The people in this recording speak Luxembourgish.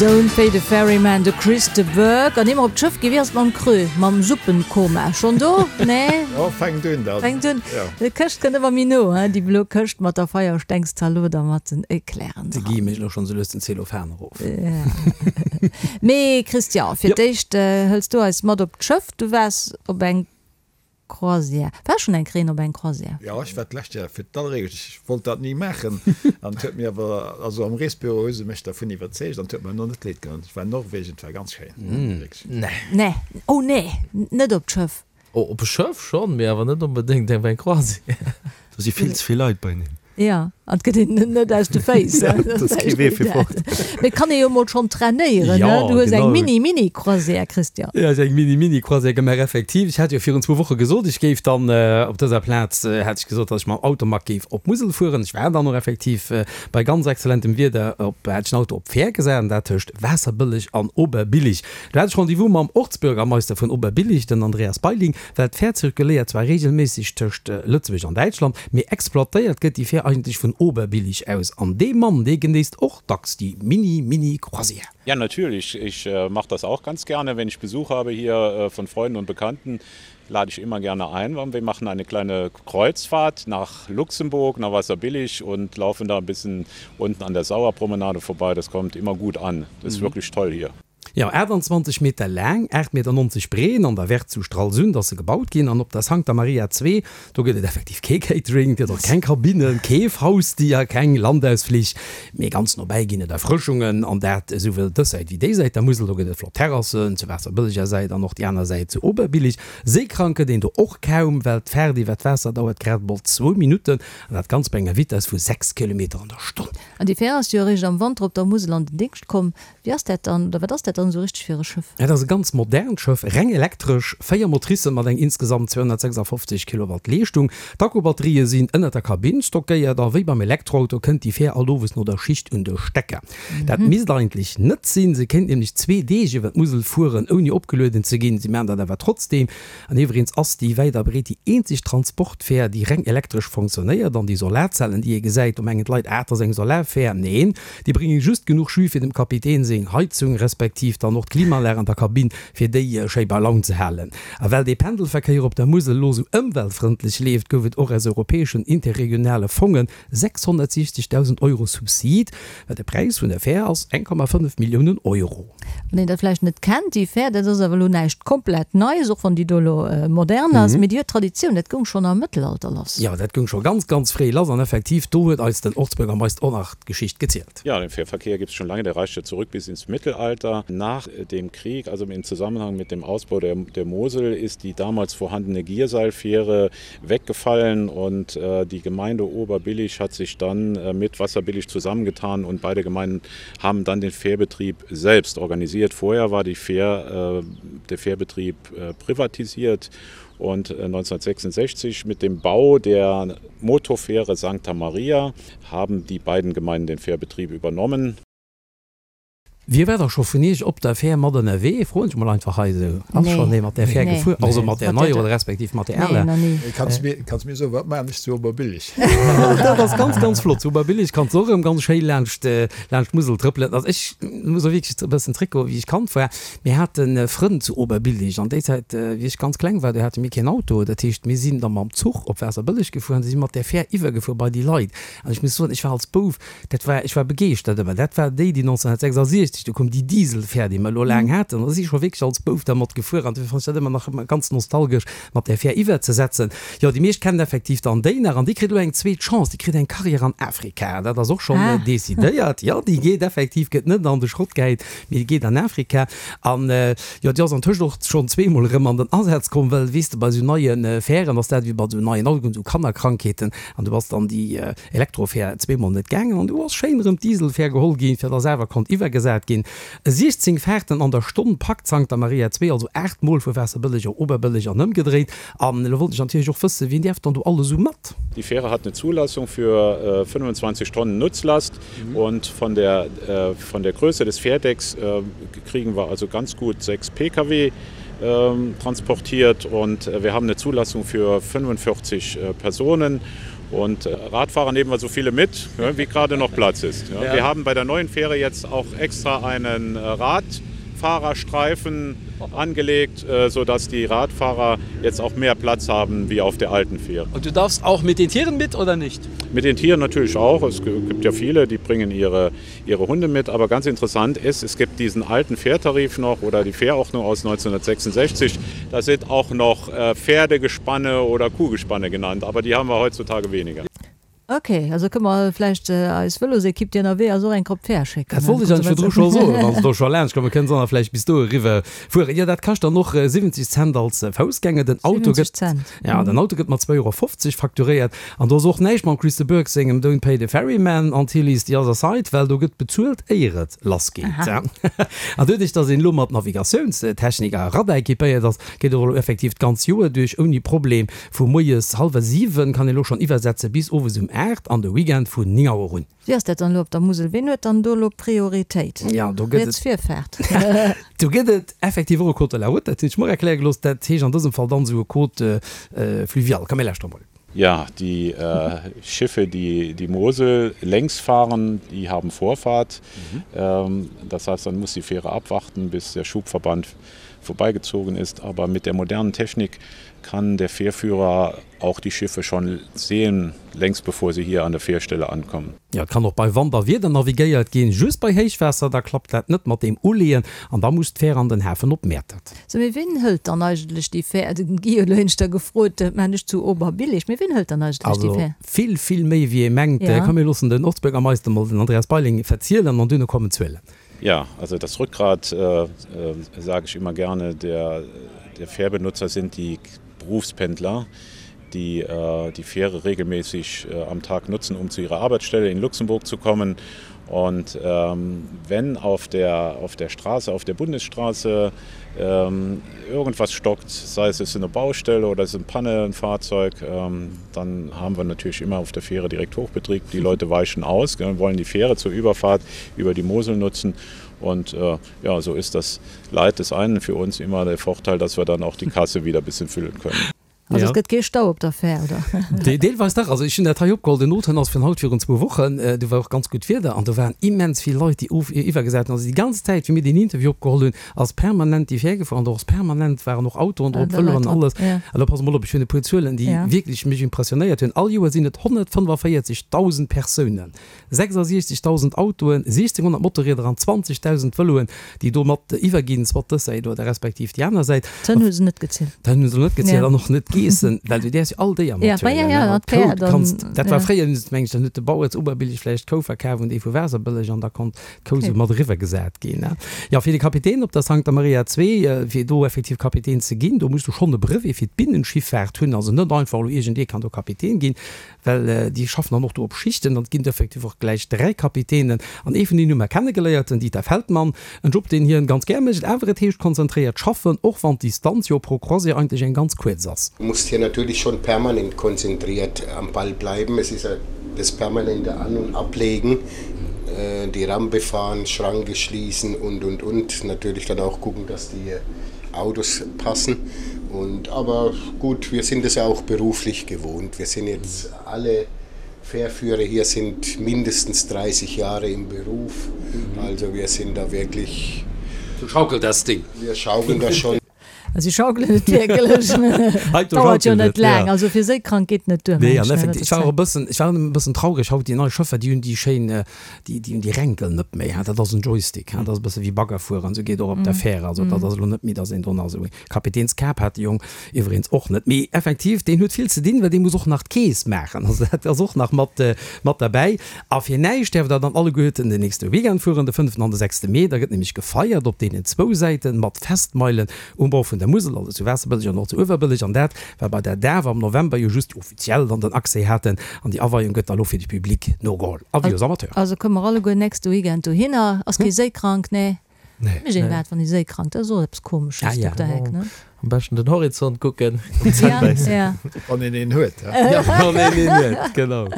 Don't pay the ferryman, de Chris de Burgh. An ier mer op d'Schëff ginn, wéi ass et mam Creux, mam Suppenkoma? Schonn do? Nee? Jo, fänkt un dann. Fänkt un. Jo. Déi Këscht kënnt ëmmer méi no, hein, déi blo Këscht mat der Feierstengszalot a mat den Eclairen De dran. Guy mécht elo schonn esou lues den Zellophan erof. Ja. Mee Christian, fir d'éischt hëls du eis mat op d'Schëff. Du waars op eng Croisière. War schonn eng Kreen op eng Croisière? Jo, ech war d'lescht Joer fir d'alleréischt. Ech wollt dat ni maachen an et huet mir awer, also am Reesbüro hu se mech dervun iwwerzeegt an et huet mer elo net leed gedoen. Ech war in Norwegen, et war ganz schéin, wierklech. Nee. Nee, oh nee, net op d'Schëff. Oh, op e Schëff schonn, mee awer net onbedéngt op eng Croisière. Do si vill ze vill Leit beieneen. Jo, an et gëtt een net aus de Féiss. Dat ass kee Wee fir fort. Mee et kann ee jo mol schonn trainéieren, ne? Du hues eng Mini-Mini-Croisière, Christian. Jo, ech hu eng Mini-Mini-Croisière gemaach, effektiv. Ech hat jo virun zwou Woche gesot, ech géif dann op dëser Plaz, hat ech gesot, datt ech mam Automag géif op d'Musel fueren. Ech war dann och effektiv bei ganz exzellentem Wieder op, hat ech den Auto op d'Fähr gesat, an dat tëscht Waasserbëlleg an Oberbillig. Do hat ech Rendez-vous mam Ortsbürgermeister vun Oberbillig, den Andreas Beiling. Well d'Fähr zirkuléiert zwar reegelméisseg tëscht Lëtzebuerg an Däitschland, mee exploitéiert gëtt déi Fähr eigentlech vun Oberbillig aus. An dee Mann, dee genéisst och dacks déi Mini-Mini-Croisière. Ja natürlich, ich mach das auch ganz gerne, wenn ich Besuch habe hier von Freunden und Bekannten, lade ich immer gerne ein und wir machen eine kleine Kreuzfahrt nach Luxemburg, nach Wasserbillig und laufen da ein bisschen unten an der Sauerpromenade vorbei, das kommt immer gut an, das ist wirklich toll hier. Jo, 28 Meter laang, 8,90 Meter breet, an der Werft zu Stralsund ass se gebaut ginn. An op der Sancta Maria 2, do gëtt et effektiv kee Catering, et gëtt och keng Kabinnen, kee Fausdier, keng Landausflich, mee ganz nobäi ginn et Erfrëschungen, an dat esouwuel dës Säit wéi déi Säit der Musel. Do gëtt et flott Terrassen zur Waasserbëlleger Säit an och déi aner Säit zu Oberbillig. Seekrank gëtt een do och kaum, well d'Faart iwwer d'Waasser dauert grad emol zwou Minutten, an dat Ganzt bei enger Vitess vu 6 Kilometer an der Stonn. An déi Fähr ass jo eréischt am Wanter op der Musel an den Déngscht komm. Wéi ass dat dann, oder wat ass dat dann esou richteg fir e Schëff? Dat ass e ganz modernt Schëff, reng elektresch, 4 Motricen mat eng insgesamt 256 Kilowatt Leeschtung. D'Akkubatterië sinn ënnert der Kabinn stockéiert a wéi beim Elektroauto kënnt déi Fähr alt owes no der Schicht un de Stecker. Dat misst eigentlech net sinn, se kéint nämlech zwee Deeg iwwer d'Musel fueren ouni opgelueden ze ginn. Si maachen dat awer trotzdeem. An iwweregens ass déi wäit a breet déi eenzeg Transportfähr, déi reng elektresch fonctionnéiert. An déi Solarzellen, déi ee gesäit, do mengen d'Leit, ah, dat ass eng Solarfähr. Neen, déi brénge just genuch Jus fir dem Kapitän seng Heizung, respektiv dann och d'Klimaanlag an der Kabinn, fir déi schéi bei Laun ze halen. A well dee Pendelverkéier op der Musel elo sou ëmweltfrëndlech leeft, gouf et och aus europäeschen interregionale Fongen 660.000 Euro Subsid. Well de Präis vun der Fähr ass 1,5 Milliounen Euro. Wann een dat vläicht net kennt, déi Fähr, dat ass awer elo näischt komplett Neies, och wann déi do elo modern ass, mee déi huet Traditioun, dat goung schonn am Mëttelalter lass. Jo, dat goung scho ganz, ganz fréi lass an effektiv, do huet eis den Ortsbürgermeister och nach d'Geschicht gezielt. Ja, den Fährverkehr gibt's schon lange, der reicht ja zurück bis ins Mittelalter. Nach dem Krieg, also im Zusammenhang mit dem Ausbau der, der Mosel, ist die damals vorhandene Gierseilfähre weggefallen und äh, die Gemeinde Oberbillig hat sich dann äh, mit Wasserbillig zusammengetan und beide Gemeinden haben dann den Fährbetrieb selbst organisiert. Vorher war die Fähr, äh, der Fährbetrieb äh, privatisiert und 1966 äh, mit dem Bau der Motorfähre Sancta Maria haben die beiden Gemeinden den Fährbetrieb übernommen. Wie war da scho vun Iech op der Fähr mat ënnerwee? Froen ech mol einfach hei esou. Ass schonn ee mat där Fähr gefuer? Also mat där neier oder respektiv mat där aler? Kanns mir, kanns mir soen, wat maachen ech zu Oberbillig? Dat ass ganz, ganz flott. Zu Oberbillig kanns de och erëm ganz schéi laanscht, laanscht d'Musel trëppelen. Also ech muss och wierklech e bëssen zréckgoen, wéi ech Kand war. Mir hate Frënn zu Oberbillig an déi Zäit, wéi ech ganz kleng war, do hate mir keen Auto. Dat heescht, mir sinn da mam Zuch op Waasserbëlleg gefuer an si mat där Fähr iwwergefuer bei déi Leit. An ech muss soen, ech war als Bouf, Dat war, ech war begeeschtert ëmmer. Dat war déi, déi 1966, du koum déi Dieselfähr, déi mer elo laang haten. Da si ech scho wierklech als Bouf dermat gefuer an dofir fannen ech dat ëmmer nach ganz nostalgesch, mat där Fähr iwwerzesetzen. Jo, déi meescht kennen effektiv dann déi nach an déi kritt elo eng zweet Chance, déi kritt eng Carrière an Afrika. Dat ass och schonn decidéiert. Jo, déi geet effektiv, gëtt net an de Schrott gehäit, mee déi geet an Afrika. An jo, déi ass antëscht och schonn zweemol erëm an den Asaz komm, well, weess de, bei esou neie Fähren ass dat ewéi bei esou neien Autoen, esou Kannerkrankheeten an du bass dann déi Elektrofähr zweemol net gaangen an du ass schéin erëm d'Dieselfähr geholl ginn, fir dass awer konnt iwwergesat ginn. 16 Fahrten an der Stonn packt d'Sancta Maria 2, also 8 mol vu Waasserbëlleg op Oberbëlleg an ëmgedréit. An elo wollt ech natierlech och wëssen, wien däerf dann do alles esou mat? Die Fähre hat eine Zulassung für 25 Tonnen Nutzlast und von der von der Größe des Fährdecks kriegen wir also ganz gut 6 Pkw transportiert und wir haben eine Zulassung für 45 Personen. Und äh, Radfahrer nehmen wir so viele mit, ja, wie gerade noch Platz ist. Ja. Ja. Wir haben bei der neuen Fähre jetzt auch extra einen äh, Radfahrerstreifen angelegt, äh, sodass die Radfahrer jetzt auch mehr Platz haben wie auf der alten Fähre. Und du darfst auch mit den Tieren mit oder nicht? Mit den Tieren natürlich auch. Es gibt ja viele, die bringen ihre, ihre Hunde mit. Aber ganz interessant ist, es gibt diesen alten Fährtarif noch oder die Fährordnung aus 1966. Da sind auch noch äh, Pferdegespanne oder Kuhgespanne genannt, aber die haben wir heutzutage weniger. Ok, also kënne mer vläicht eis Vëlosekipp, déi ënnerwee ass, och eng Kopp Fähr schécken. Dat wollt ech eigentlech virdru scho soen, wa se do scho laanscht kommen, kënne se dann vläicht bis do eriwwer fueren. Jo, dat kascht dann och 70 Cent als Foussgänger. Den Auto 70 gëtt, Cent? ja, den Auto gëtt mat 2,50 Euro facturéiert. An do ass och näischt mam Chris de Burgh sengem Don't pay the ferryman until he's the other side, well do gëtt bezuelt, éier et lassgeet. Aha. An doduerch, dass een elo mat Navigatiounstechnik a Radar equipéiert ass, geet och elo effektiv d'ganz Joer duerch ouni Problem. Vu moies hallwer 7 kann een elo schonn iwwersetze bis owes um 8 an de Weekend vun 9 Auer un. Wéi ass dat dann elo op der Musel? Ween huet dann do elo Prioritéit? Jo, do gëtt Riets et Virfaart? Do gëtt et effektiv och e Code de la route, dat hunn ech mer och erkläre gelooss. Dat heescht an dësem Fall dann esou e Code fluvial. Komm mir lauschteren emol. Ja, die Schiffe, die die Mosel längs fahren, die haben Vorfahrt. Das heißt, dann muss die Fähre abwarten, bis der Schubverband vorbeigezogen ist. Aber mit der modernen Technik kann der Fährführer auch die Schiffe schon sehen, längst bevor sie hier an der Fährstelle ankommen. Jo, et kann och bei Wand a Wieder navigéiert ginn, just bei Héichwaasser, da klappt dat net mat deem Uleeën an da muss d'Fähr an den Hafen op Mäertert. Sou, mee ween hëlt dann eigentlech déi Fähr? Den Guy huet elo éineschter gefrot, dat maan ech zu Oberbillig, mee ween hëlt dann eigentlech déi Also Fähr? vill, vill méi wéi ee mengt. Ja. Komm mir loossen den Ortsbürgermeister mol, den Andreas Beiling, verzielen an duerno kommen d'Zuelen. Ja, also das Rückgrat, äh, sage ich immer gerne, der, der Fährbenutzer sind die Berufspendler, die äh, die Fähre regelmäßig äh, am Tag nutzen, um zu ihrer Arbeitsstelle in Luxemburg zu kommen. Und ähm, wenn auf der, auf der Straße, auf der Bundesstraße ähm, irgendwas stockt, sei es ist eine Baustelle oder es ist ein Panne, ein Fahrzeug, ähm, dann haben wir natürlich immer auf der Fähre direkt Hochbetrieb. Die Leute weichen aus, gell, wollen die Fähre zur Überfahrt über die Mosel nutzen. Und äh, ja, so ist das Leid des einen für uns immer der Vorteil, dass wir dann auch die Kasse wieder ein bisschen füllen können. Also et gëtt kee Stau op der Fähr, oder? Deelweis dach. Also ech hunn dat hei opgeholl, den O-Toun ass vun haut virun zwou Wochen. Do war och ganz gutt Wieder an do waren immens vill Leit, déi of iwwergesat hunn. Also déi ganz Zäit, wéi mir deen Interview opgeholl hunn, ass permanent déi Fähr gefuer an do ass permanent waren och Autoen drop, Vëloen an alles. A lo pass mol op, ech hunn e puer Zuelen, déi wierklech mech impressionéiert hunn. All Joer sinn et 145.000 Persounen, 66.000 Autoen, 1.600 Motorrieder an 20.000 Vëloen, déi do mat iwwerginn, soit dës Säit oder respektiv déi aner Säit. D'Hënn hu se net gezielt. D'Hënn hu se net gezielt an och net d'Geessen, well du däerfs jo all Déier mathuelen. Ja, D'Kou kanns, dat war fréier, meng ech, dann huet de Bauer zu Oberbillig vläicht d'Kou verkaf un dee vu Waasserbëlleg an da konnt d'Kou sou mat eriwwergesat ginn. Jo, fir de Kapitän op der Sancta Maria 2, fir do effektiv Kapitän ze ginn, do muss du schonn e Brevet fir d'Binnenschiffaart hunn, also net einfach elo iergendee kann do Kapitän ginn. Well déi schaffen dann och do op Schichten an et ginn effektiv och gläich 3 Kapitänen. An ee vun deenen hu mer kennegeléiert, den Dieter Feldmann. En Job, deen hien ganz gär mécht, awer et heescht konzentréiert schaffen, och wann d'Distanz jo pro Croisière eigentlech eng ganz kuerz ass. Du musst hier natürlich schon permanent konzentriert am Ball bleiben. Es ist ja das permanente An und Ablegen, die Rampe fahren, Schranke schließen und, und, und. Natürlich dann auch gucken, dass die Autos passen. Und aber gut, wir sind es ja auch beruflich gewohnt. Wir sind jetzt alle Fährführer hier sind mindestens 30 Jahre im Beruf. Also wir sind da wirklich. Du schaukelt das Ding. Wir schaukeln das schon. Si schaukelen et wierklech. Dauert jo net laang. Also fir séikrank geet net duer. Nee, an effektiv, ech war och e bëssen, ech war e bëssen traureg haut, déi nei Schëffer, déi hunn déi schéin, déi, déi hunn déi Ränkel net méi, dat ass en Joystick, dat ass e bësse wéi Bagger fueren, esou geet och op der Fähre. Also dat ass elo net méi, datt een do nach esou e Kapitänskap hat de Jong iwweregens och net. Mee effektiv, deen huet vill ze dinn, well dee muss och nach d'Keess maachen. Also dat ass och nach mat, mat derbäi. A fir näischt däerft der dann alleguerten den nächste Weekend fueren, de fënneften an de sechste Mee. Da gëtt nämlech gefeiert op deenen zwou Säiten mat Festmeilen um Bord vun der Musel, also zu Waasserbëlleg an och zu Uewerbëlleg. An dat war bei der Daf am November jo just déi offiziell dann den Accès haten. An déi Aweiung gëtt da lo fir de Public nogeholl a wéi als Amateur. Also komme mer alleguer nächste Weekend dohinner. Ass kee séikrank, nee? Mécht een dat wann ee séikrank, dat ass och eppes komesches, Dokter Heck, ne? Am beschten den Horizont kucken. Ja, ja. Wann een een huet, he? Wann een een huet, genau.